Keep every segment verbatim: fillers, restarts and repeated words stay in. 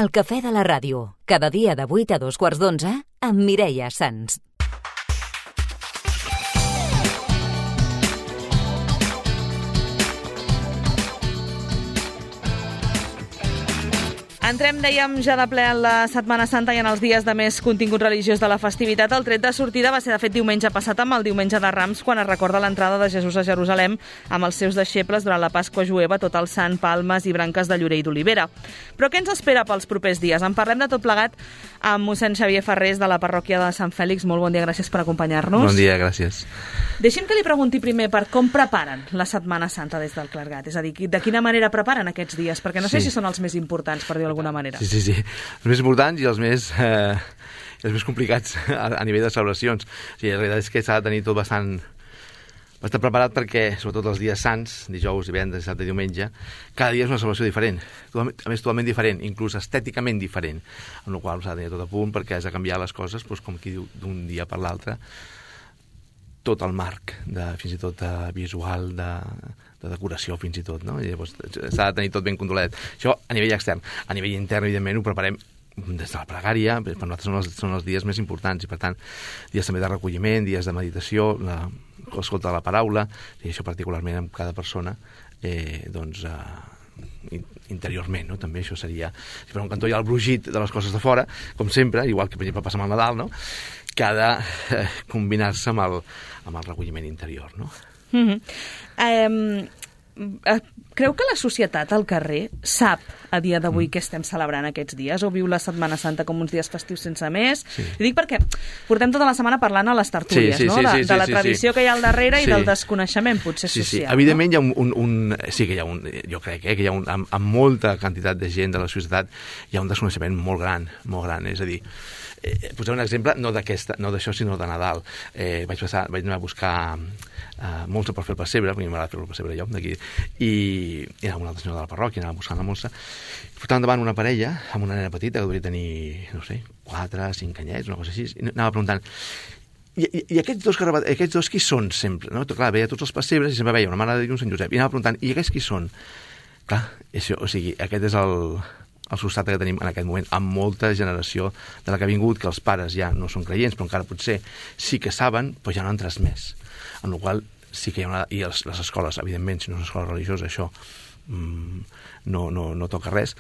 El cafè de la ràdio, cada dia de vuit a dos quarts d'onze, amb Mireia Sans. Entrem, dèiem, ja de ple en la Setmana Santa i en els dies de més contingut religiós de la festivitat. El tret de sortida va ser, de fet, diumenge passat, amb el diumenge de Rams, quan es recorda l'entrada de Jesús a Jerusalem amb els seus deixebles durant la Pasqua jueva, tot el sant, palmes i branques de llorer i d'olivera. Però què ens espera pels propers dies? En parlem de tot plegat amb mossèn Xavier Ferrés, de la parròquia de Sant Fèlix. Molt bon dia, gràcies per acompanyar-nos. Bon dia, gràcies. Deixi'm que li pregunti primer per com preparen la Setmana Santa des del clergat. És a dir, de quina manera preparen aquests dies? Perquè no sé Sí. si són els més importants, per dir-ho d'alguna manera. Sí, sí, sí. Els més importants i els més, eh, els més complicats a, a nivell de celebracions. O sigui, la veritat és que s'ha de tenir tot bastant, bastant preparat perquè, sobretot els dies sants, dijous, divendres, dissabte i diumenge, cada dia és una celebració diferent. Totalment, a més, totalment diferent, inclús estèticament diferent. Amb la qual cosa s'ha de tenir tot a punt perquè has de canviar les coses, doncs, com qui diu, d'un dia per l'altre, tot el marc, de, fins i tot de visual, de, de decoració fins i tot, no? I llavors s'ha de tenir tot ben controlat. Això a nivell extern. A nivell intern, evidentment, ho preparem des de la pregària, per nosaltres són els, són els dies més importants i, per tant, dies també de recolliment, dies de meditació, la, l'escolta de la paraula, i això particularment amb cada persona, eh, doncs, eh, interiorment, no? També això seria... Si per un cantó hi ha el brugit de les coses de fora, com sempre, igual que, per exemple, passa amb el Nadal, no? Que ha de eh, combinar-se amb, el, amb el recolliment interior, no? Mm-hmm. Eh, creu que la societat al carrer sap a dia d'avui mm. què estem celebrant aquests dies, o viu la Setmana Santa com uns dies festius sense més? Sí. I dic perquè portem tota la setmana parlant a les tertúlies, sí, sí, no? sí, de, sí, de la sí, tradició sí. que hi ha al darrere sí. i del desconeixement, potser sí, social. Sí. Evidentment, no? Hi ha un, un, un... Sí que hi ha un... Jo crec eh, que hi ha un... Amb, amb molta quantitat de gent de la societat hi ha un desconeixement molt gran, molt gran. És a dir, eh, posaré un exemple, no d'aquesta, no d'això, sinó de Nadal. Eh, vaig, passar, vaig anar a buscar uh, molsa per fer el pessebre, perquè m'agrada fer el pessebre jo, d'aquí, i, i anava una altra senyora de la parròquia, anava buscant la molsa, i portava endavant una parella amb una nena petita que devia tenir, no sé, quatre, cinc anyets, una cosa així, i anava preguntant, i, i, i aquests, dos, aquests dos qui són sempre? No? Clar, veia tots els pessebres i sempre veia una Mare de Déu i un Sant Josep, i anava preguntant, i aquests qui són? Clar, això, o sigui, aquest és el... el substrat que tenim en aquest moment, amb molta generació de la que ha vingut, que els pares ja no són creients, però encara potser sí que saben, però ja no han transmès. En la qual sí que hi ha una... I les, les escoles, evidentment, si no és una escola religiosa, això mmm, no, no, no toca res.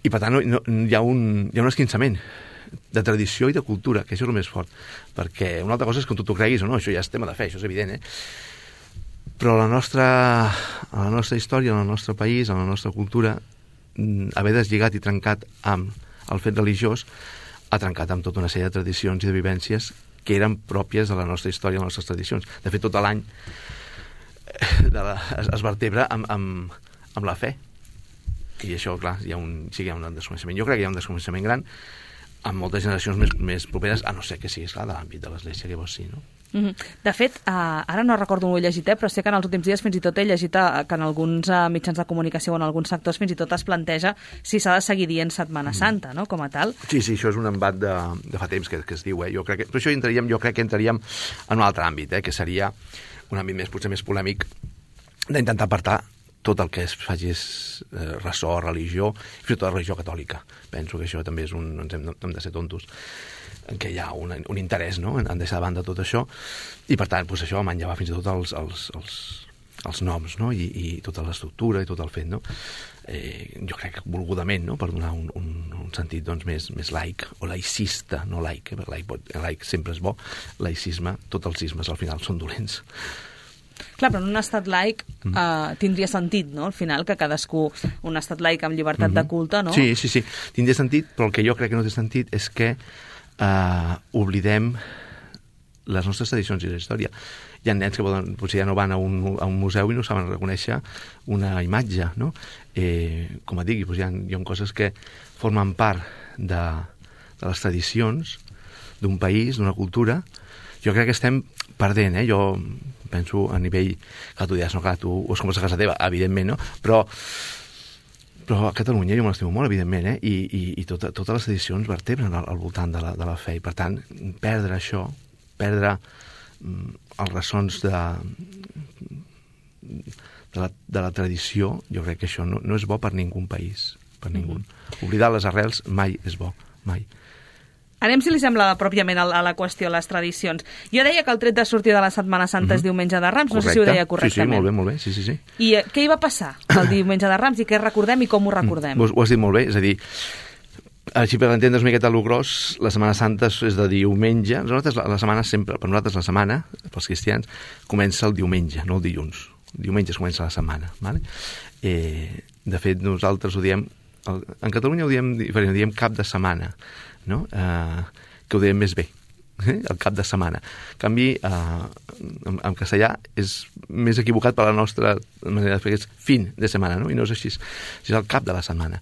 I, per tant, no, no, hi, ha un, hi ha un esquinçament de tradició i de cultura, que això és el més fort. Perquè una altra cosa és que tu t'ho creguis o no, això ja és tema de fe, això és evident, eh? Però la nostra, a la nostra història, en el nostre país, en la nostra cultura, haver deslligat i trencat amb el fet religiós ha trencat amb tota una sèrie de tradicions i de vivències que eren pròpies de la nostra història, de les nostres tradicions. De fet, tot l'any de la, es, es vertebra amb, amb, amb la fe. I això, clar, hi ha un, sí que hi ha un desconeixement. Jo crec que hi ha un desconeixement gran amb moltes generacions més, més properes, a no ser que sigui, esclar, de l'àmbit de l'Església, que llavors sí, no? Mm-hmm. De fet, uh, ara no recordo on ho he llegit, eh, però sé que en els últims dies fins i tot he llegit uh, que en alguns uh, mitjans de comunicació o en alguns sectors fins i tot es planteja si s'ha de seguir dient Setmana Santa, no?, com a tal. Sí, sí, això és un embat de, de fa temps que, que es diu, eh? Jo crec que, però això entraríem, jo crec que entraríem en un altre àmbit, eh? Que seria un àmbit més, potser més polèmic, d'intentar apartar tot el que es faci és eh, ressò, religió, i fins i tot la religió catòlica. Penso que això també és un... No hem, no hem de ser tontos, en què hi ha un, un interès, no?, en, en deixar de banda tot això, i per tant, doncs això manllava fins i tot els, els, els, els noms, no?, I, i tota l'estructura i tot el fet, no?, eh, jo crec que volgudament, no?, per donar un, un, un sentit, doncs, més, més laic, o laicista, no laic, eh? Laic, laic sempre és bo, laicisme, tots els ismes al final són dolents. Clar, però en un estat laic eh, tindria sentit, no?, al final, que cadascú, un estat laic amb llibertat mm-hmm. de culte, no? Sí, sí, sí, tindria sentit, però el que jo crec que no té sentit és que eh, oblidem les nostres tradicions i la història. Hi ha nens que poden, potser ja no van a un, a un museu i no saben reconèixer una imatge, no? Eh, com et digui, doncs hi ha, hi ha coses que formen part de, de les tradicions d'un país, d'una cultura. Jo crec que estem perdent, eh? Jo penso a nivell... Clar, tu diràs, no, clar, tu ho és com a casa teva, evidentment, no? Però, però a Catalunya jo me l'estimo molt, evidentment, eh? I, i, i tota, totes les tradicions vertebren al, al voltant de la, de la fe. I, per tant, perdre això, perdre mm, els ressons de, de, la, de la tradició, jo crec que això no, no és bo per ningú país, per ningú. Mm-hmm. Oblidar les arrels mai és bo, mai. Anem, si li sembla, pròpiament a la qüestió, les tradicions. Jo deia que el tret de sortir de la Setmana Santa mm-hmm. és diumenge de Rams, no Correcte. sé si ho deia correctament. Sí, sí, molt bé, molt bé, sí, sí, sí. I eh, què hi va passar el diumenge de Rams i què recordem i com ho recordem? Mm, ho, ho has dit molt bé, és a dir, així per entendre's una miqueta el gros, la Setmana Santa és de diumenge. Nosaltres la, la setmana sempre, per nosaltres la setmana, pels cristians, comença el diumenge, no el dilluns. El diumenge es comença la setmana, vale? Eh, de fet, nosaltres ho diem, el, en Catalunya ho diem diferent, ho diem cap de setmana, no? Eh, que ho diem més bé, eh? El cap de setmana. En canvi, eh, en, en castellà és més equivocat per la nostra manera de fer, és fin de setmana, no? I no és així, és el cap de la setmana.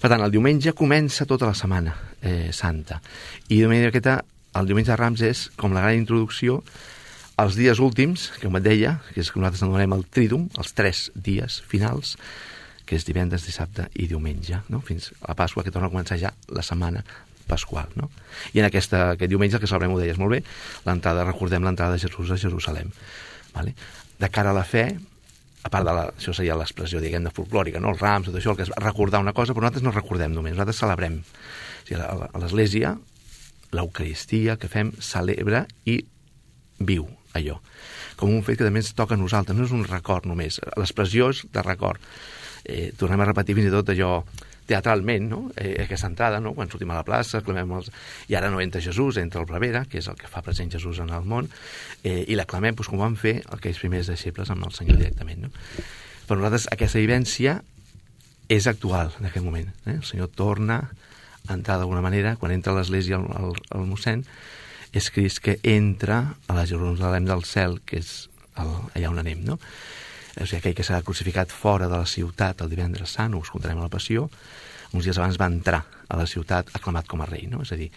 Per tant, el diumenge comença tota la setmana eh, santa. I de manera aquesta, el diumenge de Rams és com la gran introducció als dies últims, que com et deia, que és que nosaltres anomenem el trídum, els tres dies finals, que és divendres, dissabte i diumenge, no? Fins a la Pasqua, que torna a començar ja la setmana pasqual, no? I en aquesta, aquest diumenge, que celebrem, ho deies molt bé, l'entrada, recordem l'entrada de Jesús a Jerusalem. Vale? De cara a la fe, a part de la, això seria l'expressió, diguem, de folclòrica, no? Els rams, tot això, el que és recordar una cosa, però nosaltres no recordem només, nosaltres celebrem. O sigui, a l'Església, l'Eucaristia que fem celebra i viu allò, com un fet que també ens toca a nosaltres, no és un record només, l'expressió és de record. Eh, tornem a repetir fins i tot allò teatralment, no? Eh, aquesta entrada, no? Quan sortim a la plaça, clamem els... i ara no entra Jesús, entra el prevere, que és el que fa present Jesús en el món, eh, i l'aclamem, doncs, com van fer aquells primers deixebles amb el Senyor directament, no? Per nosaltres aquesta vivència és actual en aquest moment. Eh? El Senyor torna a entrar d'alguna manera, quan entra a l'església el, el, el mossèn, és Crist que entra a la Jerusalem del cel, que és el, allà on anem, no? O sigui, aquell que s'ha crucificat fora de la ciutat el divendres sant, ho escoltarem a la Passió, uns dies abans va entrar a la ciutat aclamat com a rei, no? És a dir,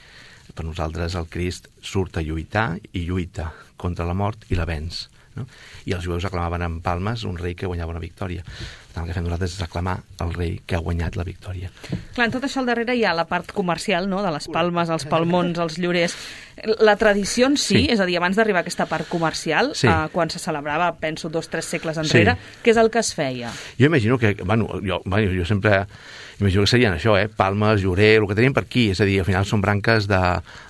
per nosaltres el Crist surt a lluitar i lluita contra la mort i la venç, no? I els jueus aclamaven amb palmes un rei que guanyava una victòria. Per tant, el que fem nosaltres és aclamar el rei que ha guanyat la victòria. Clar, en tot això al darrere hi ha la part comercial, no?, de les palmes, els palmons, els llorers. La tradició en si, sí. És a dir, abans d'arribar a aquesta part comercial, sí. eh, quan se celebrava, penso, dos, tres segles enrere, sí. Què és el que es feia? Jo imagino que, bueno, jo, bueno, jo sempre imagino que serien això, eh? Palmes, llorer, el que tenim per aquí, és a dir, al final són branques de,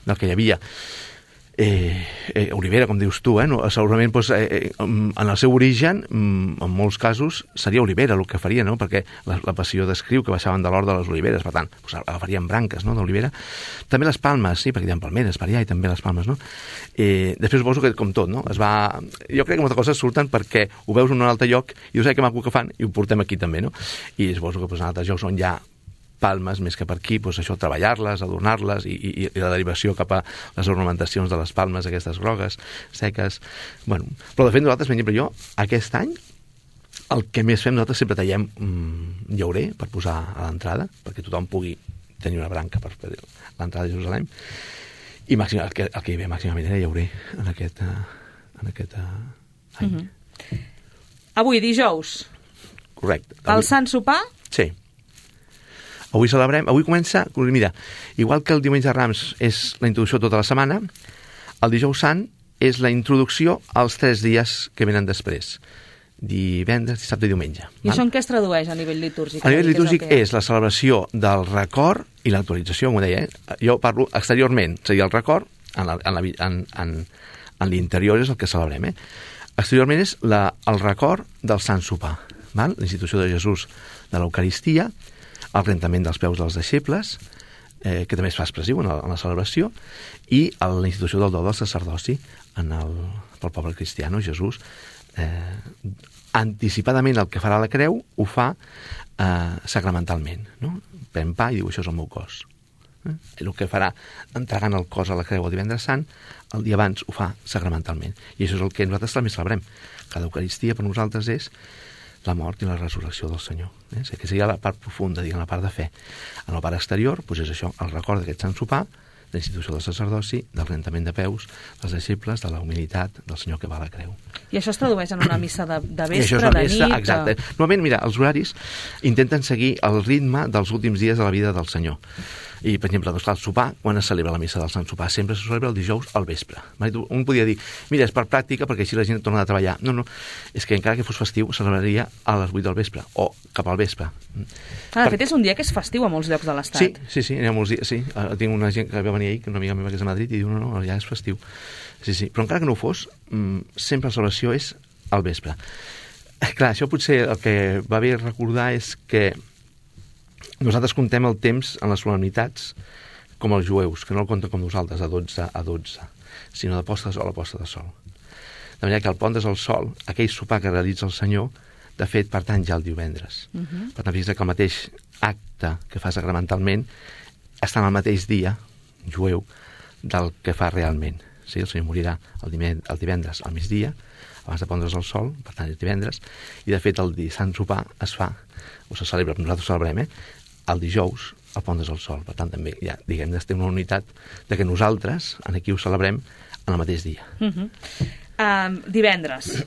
del que hi havia. Eh, eh, olivera, com dius tu, eh? No, segurament doncs, eh, en el seu origen, en molts casos, seria olivera el que faria, no? Perquè la, la passió descriu que baixaven de l'hort de les oliveres, per tant, doncs, agafarien branques, no?, d'olivera. També les palmes, sí, perquè hi ha palmeres per allà i també les palmes, no? Eh, després suposo que, com tot, no? Es va... Jo crec que moltes coses surten perquè ho veus en un altre lloc i dius, ai, que maco que fan, i ho portem aquí també, no? I suposo que doncs, en altres llocs on hi ha palmes, més que per aquí, doncs això, treballar-les, adornar-les, i, i, i la derivació cap a les ornamentacions de les palmes, aquestes grogues, seques... Bueno, però de fet nosaltres, per exemple, jo, aquest any, el que més fem, nosaltres sempre tallem mm, llaurer per posar a l'entrada, perquè tothom pugui tenir una branca per fer l'entrada de Jerusalem, i màxim, el, que, el que hi ve màximament era llaurer en aquest, en aquest any. Mm-hmm. Avui, dijous. Correcte. El avui... Sant Sopar? Sí. Avui celebrem, avui comença, mira, igual que el diumenge de Rams és la introducció tota la setmana, el dijous sant és la introducció als tres dies que venen després, divendres, dissabte i diumenge. I val? Això en què es tradueix a nivell litúrgic? A nivell litúrgic és, és la celebració del record i l'actualització, com ho deia, eh? Jo parlo exteriorment, seria el record, en, la, en, la, en, en, en l'interior és el que celebrem, eh? Exteriorment és la, el record del Sant Sopar, val? La institució de Jesús de l'Eucaristia, el rentament dels peus dels deixebles, eh, que també es fa expressiu en, el, en la celebració, i el, la institució del do del sacerdoci en el, pel poble cristiano, Jesús, eh, anticipadament el que farà la creu, ho fa eh, sacramentalment, no? Pren pa i diu, això és el meu cos. Eh? El que farà entregant el cos a la creu el divendres sant, el dia abans ho fa sacramentalment. I això és el que nosaltres també celebrem. Cada Eucaristia per nosaltres és la mort i la resurrecció del Senyor. Eh? O sigui, que seria la part profunda, diguem, la part de fe. En la part exterior, doncs és això, el record d'aquest Sant Sopar, de la institució del sacerdoci, del rentament de peus, dels deixebles, de la humilitat del Senyor que va a la creu. I això es tradueix en una missa de, de vespre, I això és una de missa, nit... Exacte. Normalment, mira, els horaris intenten seguir el ritme dels últims dies de la vida del Senyor. I, per exemple, doncs, clar, el sopar, quan es celebra la missa del Sant Sopar? Sempre se celebra el dijous al vespre. Un podia dir, mira, és per pràctica, perquè així la gent torna a treballar. No, no, és que encara que fos festiu, se celebraria a les vuit del vespre, o cap al vespre. Ah, de per... fet, és un dia que és festiu a molts llocs de l'Estat. Sí, sí, sí, hi ha molts dies, sí. Tinc una gent que va venir ahir, una amiga meva que és a Madrid, i diu, no, no, ja és festiu. Sí, sí, però encara que no ho fos, sempre la celebració és al vespre. Clar, això potser el que va bé recordar és que nosaltres contem el temps en les solemnitats com els jueus, que no el compten com nosaltres, a dotze a dotze, sinó de posta de sol a posta de sol. De manera que el pont des del sol, aquell sopar que realitza el Senyor, de fet, pertany ja el divendres. Uh -huh. Per tant, fixa't que el mateix acte que fa sacramentalment està en el mateix dia jueu del que fa realment. Sí, el Senyor morirà el divendres al migdia, abans de pondre's el sol, per tant, és divendres, i de fet el Sant Sopar es fa, o se celebra, nosaltres celebrem, eh? El dijous el pondre's el sol. Per tant, també ja, diguem, estem en una unitat de que nosaltres aquí ho celebrem en el mateix dia. Uh -huh. uh, divendres.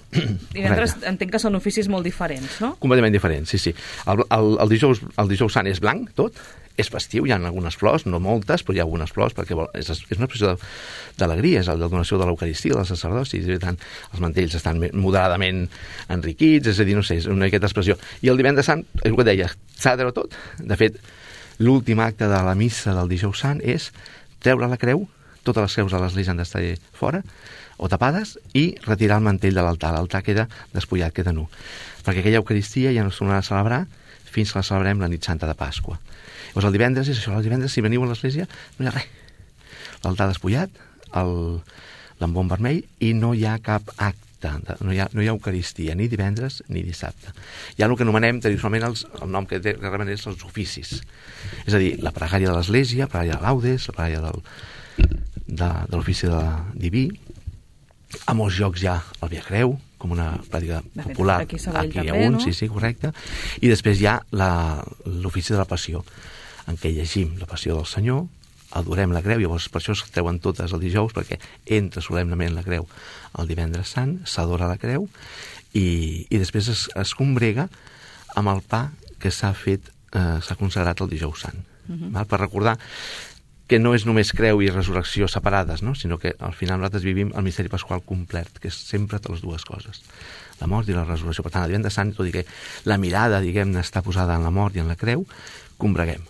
Divendres Correcte. Entenc que són oficis molt diferents, no? Completament diferents, sí, sí. El, el, el, dijous, el dijous sant és blanc, tot, és festiu, hi ha algunes flors, no moltes, però hi ha algunes flors, perquè és, és una expressió d'alegria, és la donació de l'Eucaristia, dels sacerdocis, i tant, els mantells estan moderadament enriquits, és a dir, no sé, és una aquesta expressió. I el divendres sant, és el que deia, s'ha de treure tot. De fet, l'últim acte de la missa del dijous sant és treure la creu, totes les creus a l'església han d'estar fora, o tapades, i retirar el mantell de l'altar. L'altar queda despullat, queda nu. Perquè aquella Eucaristia ja no es tornarà a celebrar fins que la celebrem la nit santa de Pasqua. Llavors el divendres és això, el divendres si veniu a l'església no hi ha res. L'altar despullat, l'embon vermell, i no hi ha cap acte, no hi ha, no hi ha Eucaristia, ni divendres ni dissabte. Hi ha el que anomenem tradicionalment els, el nom que, té, que reben és els oficis. És a dir, la pregària de l'església, la pregària de laudes, la pregària del, de, de l'ofici de diví. A molts llocs hi ha el Via Creu, com una pràctica popular. Aquí, aquí hi ha també, un, no? sí, sí, correcte. I després hi ha l'ofici de la passió, en què llegim la passió del Senyor, adorem la creu, llavors per això es treuen totes el dijous, perquè entra solemnament la creu el divendres sant, s'adora la creu, i, i després es, es combrega amb el pa que s'ha fet, eh, s'ha consagrat el dijous sant. Uh -huh. Val? Per recordar que no és només creu i resurrecció separades, no? Sinó que al final nosaltres vivim el misteri pasqual complet, que és sempre de les dues coses, la mort i la resurrecció. Per tant, el divendres sant, tot i que la mirada, diguem-ne, està posada en la mort i en la creu, combreguem,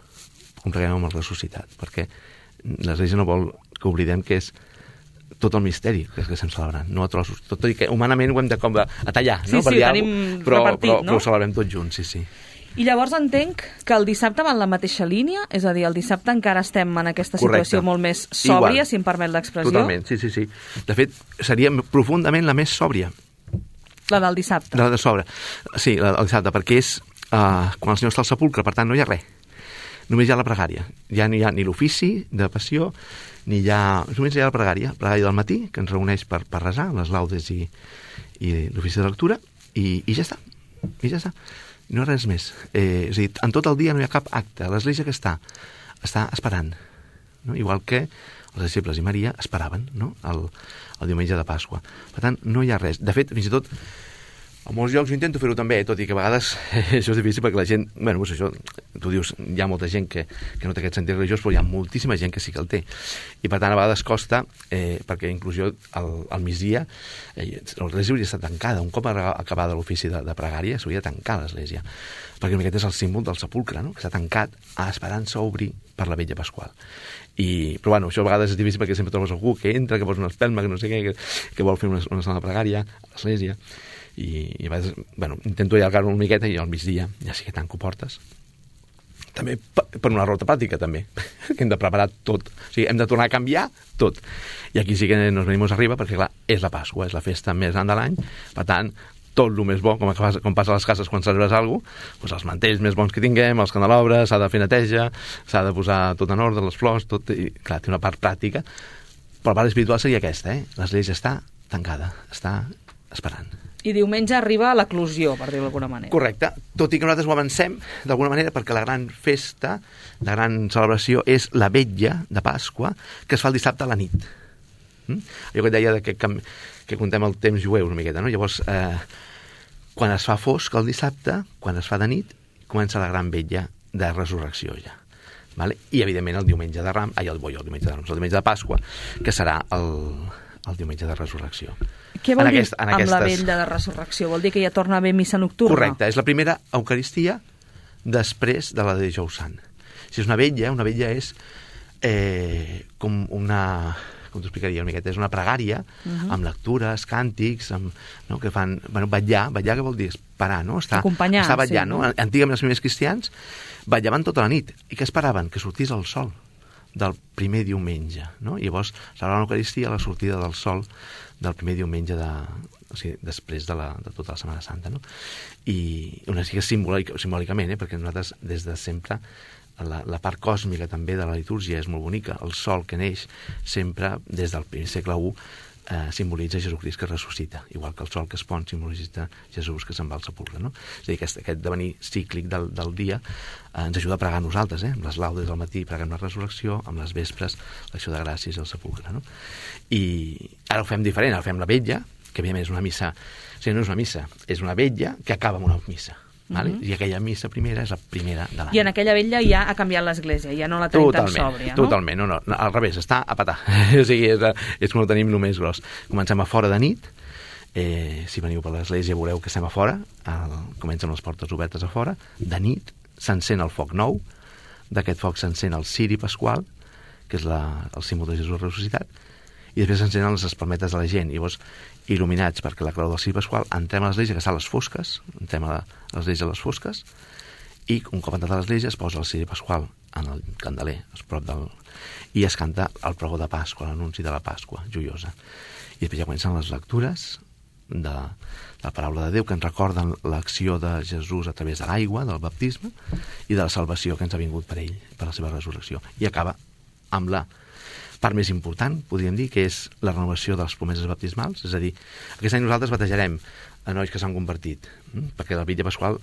combreguem amb el ressuscitat, perquè l'Església no vol que oblidem que és tot el misteri que estem celebrant, no a trossos. Tot i que humanament ho hem de com a tallar, sí, no? Sí, sí, ho tenim però, repartit, però, no? Però ho celebrem tots junts, sí, sí. I llavors entenc que el dissabte va en la mateixa línia, és a dir, el dissabte encara estem en aquesta situació Correcte. Molt més sòbria, Igual. Si em permet l'expressió. Totalment, sí, sí, sí. De fet, seria profundament la més sòbria. La del dissabte. La de sobre. Sí, la del dissabte, perquè és uh, quan el Senyor està al sepulcre, per tant no hi ha res. Només hi ha la pregària. Ja no hi ha ni l'ofici de passió, ni hi ha... Només hi ha la pregària, la pregària del matí, que ens reuneix per, per resar, les laudes i, i l'ofici de lectura, i, i ja està. I ja està. No res més. Eh, és a dir, en tot el dia no hi ha cap acte. L'Església que està? Està esperant. No? Igual que els disciples i Maria esperaven, no? el, el diumenge de Pasqua. Per tant, no hi ha res. De fet, fins i tot, a molts llocs jo intento fer-ho també, tot i que a vegades eh, això és difícil perquè la gent... Bueno, doncs això, tu dius, hi ha molta gent que, que no té aquest sentit religiós, però hi ha moltíssima gent que sí que el té. I per tant, a vegades costa, eh, perquè inclús jo al, al migdia, eh, l'església hauria estat tancada. Un cop acabada l'ofici de, de pregària, s'hauria de tancar l'església. Perquè aquest és el símbol del sepulcre, no? Que s'ha tancat a esperança obrir per la vetlla pasqual. I, però bueno, això a vegades és difícil perquè sempre trobes algú que entra, que posa una espelma, que no sé què, que, que vol fer una, una sala de pregària a l'església. I, i a vegades, bueno, intento allargar-ho una miqueta i al migdia ja sí que tanco portes. També per una raó pràctica, també, que hem de preparar tot. O sigui, hem de tornar a canviar tot. I aquí sí que nos venimos arriba, perquè, clar, és la Pasqua, és la festa més gran de l'any, per tant, tot el més bo, com, com passa a les cases quan celebres alguna cosa, doncs els mantells més bons que tinguem, els candelobres, s'ha de fer neteja, s'ha de posar tot en ordre, les flors, tot, i clar, té una part pràctica, però la part espiritual seria aquesta, eh? L'església està tancada, està esperant. I diumenge arriba a l'eclosió, per dir-ho d'alguna manera. Correcte, tot i que nosaltres ho avancem d'alguna manera, perquè la gran festa, la gran celebració és la vetlla de Pasqua, que es fa el dissabte a la nit. Mm? Jo que et deia que, que, que contem el temps jueu una miqueta, no? Llavors, eh, quan es fa fosc el dissabte, quan es fa de nit, comença la gran vetlla de resurrecció ja. Vale? I, evidentment, el diumenge de Rams, ai, el, el diumenge de Rams, el diumenge de Pasqua, que serà el, el diumenge de Resurrecció. Què vol en dir aquest, amb aquestes... la vetlla de Resurrecció? Vol dir que ja torna a haver missa nocturna? Correcte, és la primera Eucaristia després de la de Dijous Sant. Si és una vetlla, una vetlla és eh, com una... com t'ho explicaria una miqueta, és una pregària uh-huh. amb lectures, càntics, amb, no, que fan... Bueno, vetllar, vetllar què vol dir? Esperar, no? Estar, acompanyar, estar vetllant, sí. No? Antigament els primers cristians vetllaven tota la nit. I què esperaven? Que sortís el sol del primer diumenge, no? I llavors celebraven l'Eucaristia a la sortida del sol del primer diumenge de... o sigui, després de, la, de tota la Setmana Santa, no? I una mica simbòlic, simbòlicament, eh? Perquè nosaltres des de sempre La, la part còsmica també de la litúrgia és molt bonica. El sol que neix sempre, des del primer segle u, eh, simbolitza Jesucrist que ressuscita, igual que el sol que es pon simbolitza Jesús que se'n va al sepulcre, no? És a dir, aquest, aquest devenir cíclic del, del dia eh, ens ajuda a pregar a nosaltres, eh? Amb les laudes del matí preguem la resurrecció, amb les vespres l'acció de gràcies al sepulcre, no? I ara ho fem diferent, ara ho fem la vetlla, que evidentment és una missa, o sigui, no és una missa, és una vetlla que acaba amb una missa. Vale? Uh-huh. I aquella missa primera és la primera de l'any. I en aquella vetlla ja ha canviat l'església, ja no la tenim tan sòbria, no? Totalment, no, no, al revés, està a petar. O sigui, és, és com ho tenim només gros. Comencem a fora de nit, eh, si veniu per l'església veureu que estem a fora, el, comencen les portes obertes a fora, de nit s'encén el foc nou, d'aquest foc s'encén el ciri pasqual, que és la, el símbol de Jesús ressuscitat, i després s'encenen les espalmetes de la gent, i llavors il·luminats perquè la clau del ciri pasqual entrem a l'església que està a les fosques, entrem a l'església a les fosques, i un cop entrat a l'església es posa el ciri pasqual en el candeler, a prop del... i es canta el pregó de Pasqua, l'anunci de la Pasqua joiosa. I després ja comencen les lectures de la paraula de Déu que ens recorden l'acció de Jesús a través de l'aigua, del baptisme, i de la salvació que ens ha vingut per ell, per la seva resurrecció. I acaba amb la part més important, podríem dir, que és la renovació de les promeses baptismals. És a dir, aquest any nosaltres batejarem a nois que s'han convertit, perquè la vetlla pasqual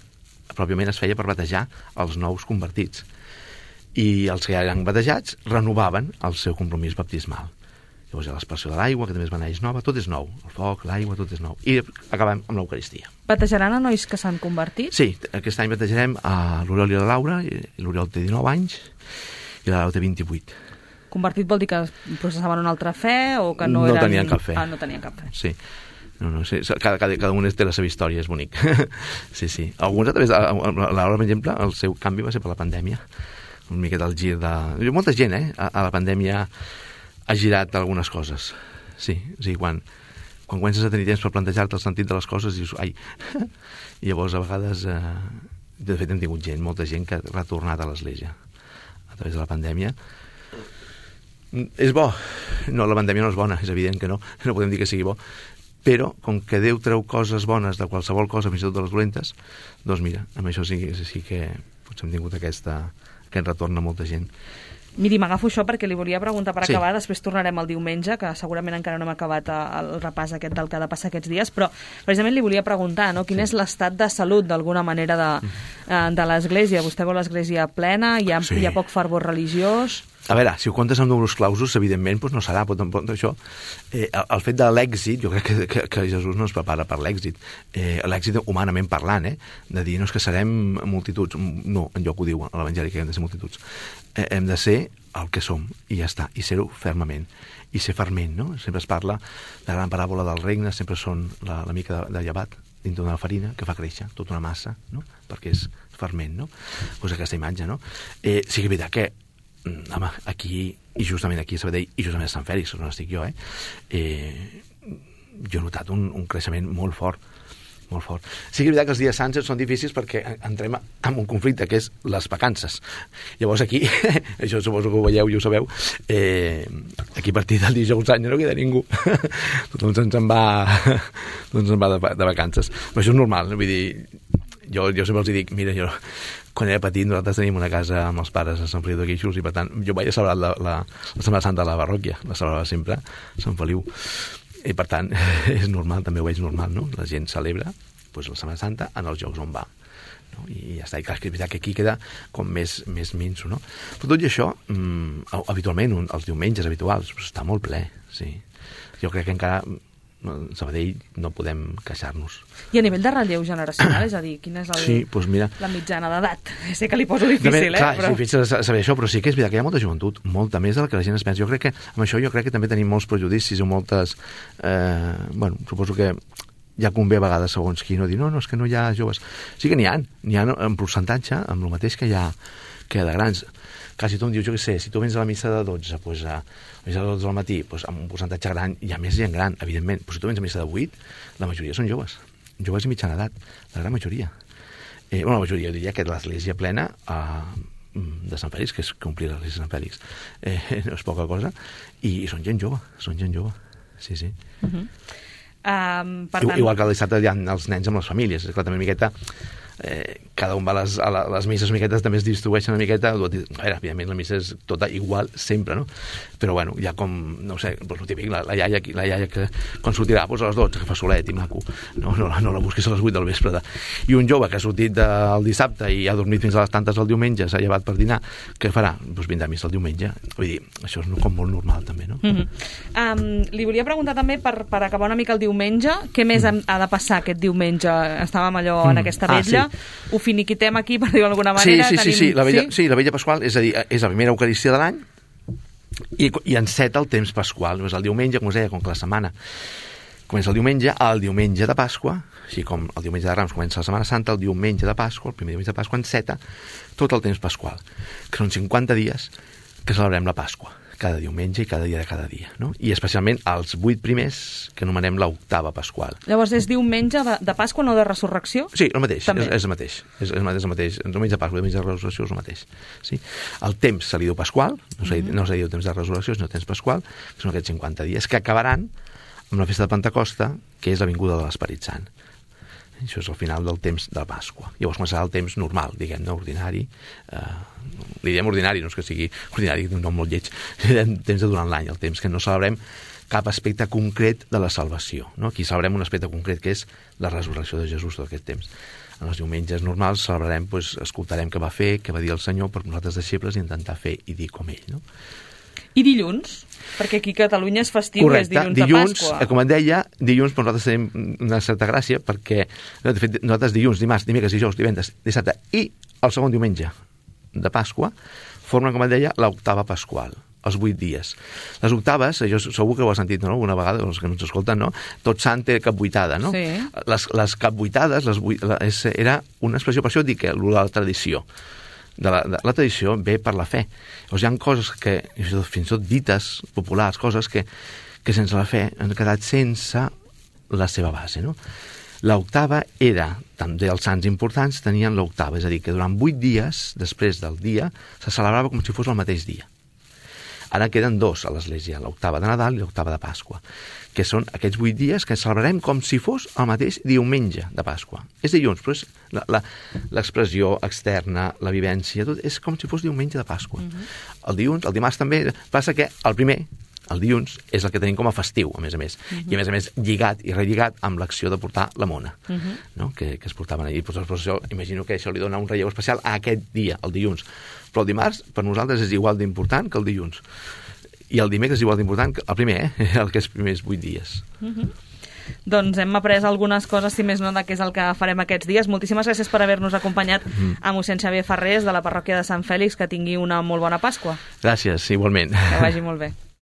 pròpiament es feia per batejar els nous convertits. I els que ja eren batejats renovaven el seu compromís baptismal. Llavors hi ha l'aspersió de l'aigua, que també es beneix nova, tot és nou. El foc, l'aigua, tot és nou. I acabem amb l'Eucaristia. Batejaran a nois que s'han convertit? Sí, aquest any batejarem a l'Oriol i la Laura, i l'Oriol té dinou anys i la Laura té vint-i-vuit. Convertit vol dir que processaven una altra fe o que no, no eren... No tenien cap fe. Ah, no tenien cap fe. Sí. No, no, sí. Cada, cada, cada un té la seva història, és bonic. Sí, sí. Alguns a través de... La Laura, per exemple, el seu canvi va ser per la pandèmia. Una miqueta el gir de... Molta gent, eh? A, a la pandèmia ha girat algunes coses. Sí, o sigui, quan, quan comences a tenir temps per plantejar-te el sentit de les coses, dius, ai... I llavors, a vegades... Eh... De fet, hem tingut gent, molta gent que ha retornat a l'església a través de la pandèmia. És bo. No, la pandèmia no és bona, és evident que no. No podem dir que sigui bo. Però, com que Déu treu coses bones de qualsevol cosa, fins i tot de les dolentes, doncs mira, amb això sí, sí que potser hem tingut aquesta, aquest retorn a molta gent. Miri, m'agafo això perquè li volia preguntar per sí. acabar, després tornarem al diumenge, que segurament encara no hem acabat el repàs aquest del que ha de passar aquests dies, però precisament li volia preguntar, no? Quin sí. és l'estat de salut, d'alguna manera, de, de l'Església? Vostè veu l'Església plena? Hi ha, sí. hi ha poc fervor religiós? A veure, si ho comptes amb números clausos, evidentment doncs no serà, però tampoc això. Eh, el, el fet de l'èxit, jo crec que, que, que Jesús no es prepara per l'èxit. Eh, l'èxit humanament parlant, eh? De dir, no és que serem multituds. No, enlloc ho diu a l'Evangeli, que hem de ser multituds. Eh, hem de ser el que som, i ja està, i ser-ho fermament. I ser ferment, no? Sempre es parla de la gran paràbola del regne, sempre són la, la mica de, de llevat dintre d'una farina que fa créixer tota una massa, no? Perquè és ferment, no? Pues aquesta imatge, no? Eh, sí que és veritat que home, aquí, i justament aquí a Sabadell, i justament a Sant Fèlix, on estic jo, eh, eh jo he notat un, un creixement molt fort, molt fort. Sí que és veritat que els dies sants són difícils perquè entrem en un conflicte, que és les vacances. Llavors aquí, això suposo que ho veieu i ho sabeu, eh, aquí a partir del dijous any no queda ningú. Tothom se'ns en va, tothom se'n va de, de vacances. Però això és normal, vull dir, jo, jo sempre els dic, mira, jo quan era petit nosaltres tenim una casa amb els pares a Sant Feliu de Guíxols i per tant jo vaig a celebrar la, la, la Setmana Santa de la parròquia, la celebrava sempre a Sant Feliu i per tant és normal, també ho veig normal, no? La gent celebra doncs, la Setmana Santa en els llocs on va, no? I ja està, i clar, és veritat que aquí queda com més, més minso, no? Però tot i això, mmm, habitualment, un, els diumenges habituals, doncs, està molt ple, sí. Jo crec que encara Sabadell no podem queixar-nos. I a nivell de relleu generacional, és a dir, quina és el, sí, doncs mira, la mitjana d'edat? Sé que li poso difícil, ben, clar, eh? Però... és difícil saber això, però sí que és veritat que hi ha molta joventut, molta més del que la gent es pensa. Jo crec que amb això jo crec que també tenim molts prejudicis o moltes... Eh, bueno, suposo que ja convé a vegades segons qui no dir, no, no, és que no hi ha joves. Sí que n'hi ha, n'hi ha en percentatge, amb el mateix que hi ha, que hi ha de grans. Clar, si tu em dius, jo què sé, si tu vens a la missa de dotze, doncs a, a missa de dotze al matí, doncs amb un percentatge gran, hi ha més gent gran, evidentment, però si tu vens a missa de vuit, la majoria són joves, joves i mitjana edat, la gran majoria. Eh, bueno, la majoria, jo diria que l'església plena eh, de Sant Fèlix, que és complir l'església de Sant Fèlix, eh, no és poca cosa, i, i són gent jove, són gent jove, sí, sí. Uh -huh. um, per tant... Igual que el dissabte hi ha els nens amb les famílies, és clar, també una miqueta... Eh, cada un va a les, a les misses una miqueta, també es distribueixen una miqueta. A veure, evidentment la missa és tota igual sempre, no? Però bueno, ja com, no sé, doncs el típic, la, la, iaia, la iaia que quan sortirà doncs a les dotze, que fa solet i maco, no, no, no la busquis a les vuit del vespre de... I un jove que ha sortit del dissabte i ha dormit fins a les tantes del diumenge, s'ha llevat per dinar, què farà? Doncs vindrà a missa el diumenge. Vull dir, això és com molt normal també, no? Mm -hmm. um, li volia preguntar també, per, per acabar una mica el diumenge, què més mm. ha de passar aquest diumenge? Estàvem allò en aquesta vetlla, ah, sí. Ho finiquitem aquí, per dir-ho d'alguna manera. Sí, sí, tenim... sí, sí, la vella, sí? sí, la vella pasqual, és a dir, és la primera eucaristia de l'any i, i enceta el temps pasqual. És el diumenge, com us deia, com que la setmana comença el diumenge, el diumenge de Pasqua, així com el diumenge de Rams comença la Setmana Santa, el diumenge de Pasqua, el primer diumenge de Pasqua, enceta tot el temps pasqual, que són cinquanta dies que celebrem la Pasqua, cada diumenge i cada dia de cada dia, no? I especialment els vuit primers, que anomenem l'octava pasqual. Llavors és diumenge de, de Pasqua, no de Resurrecció? Sí, el mateix, és, és el mateix. És, és el mateix. El diumenge de Pasqua i el diumenge de Resurrecció és el mateix. Sí? El temps se li diu pasqual, no se li, mm-hmm. no se li diu temps de Resurrecció, sinó temps pasqual, que són aquests cinquanta dies, que acabaran amb la festa de Pentecosta, que és la vinguda de l'Esperit Sant. Això és el final del temps de Pasqua. Llavors començarà el temps normal, diguem-ne, ordinari. Eh, li diem ordinari, no és que sigui ordinari, un nom molt lleig. Temps de durant l'any, el temps que no celebrem cap aspecte concret de la salvació. No? Aquí celebrem un aspecte concret, que és la resurrecció de Jesús tot aquest temps. En els diumenges normals celebrarem, doncs, escoltarem què va fer, què va dir el Senyor per nosaltres deixebles i intentar fer i dir com ell. No? I dilluns? Perquè aquí a Catalunya és festiu. Correcte. És dilluns, dilluns de Pasqua. Com et deia, dilluns per nosaltres tenim una certa gràcia, perquè de fet, nosaltres dilluns, dimarts, dimecres, dijous, divendres, dissabte i el segon diumenge de Pasqua formen, com et deia, l'octava pasqual, els vuit dies. Les octaves, jo segur que ho has sentit, no? Alguna vegada, els que no ens escolten, no? Tot sant té capvuitada, no? Sí. Les, les capvuitades, les vuit, la, és, era una expressió, per això dic que la tradició. De la, de la tradició ve per la fe. Llavors hi ha coses que, fins i tot dites populars, coses que, que sense la fe han quedat sense la seva base, no? L'octava era, també els sants importants tenien l'octava, és a dir, que durant vuit dies, després del dia, se celebrava com si fos el mateix dia. Ara queden dos a l'Església, l'octava de Nadal i l'octava de Pasqua, que són aquests vuit dies que celebrarem com si fos el mateix diumenge de Pasqua. És dilluns, però és l'expressió externa, la vivència, tot és com si fos diumenge de Pasqua. Uh-huh. El dilluns, el dimarts també, passa que el primer, el dilluns, és el que tenim com a festiu, a més a més. Uh-huh. I a més a més lligat i relligat amb l'acció de portar la mona, uh-huh. no? que, que es portaven allà. Pues, pues, això, imagino que això li dona un relleu especial a aquest dia, el dilluns. Però el dimarts, per nosaltres, és igual d'important que el dilluns. I el dimecres és igual d'important que el primer, eh? el que és primers vuit dies. Uh-huh. Doncs hem après algunes coses, si més no, de què és el que farem aquests dies. Moltíssimes gràcies per haver-nos acompanyat uh-huh. a mossèn Xavier Ferrés, de la parròquia de Sant Fèlix. Que tingui una molt bona Pasqua. Gràcies, igualment. Que vagi molt bé.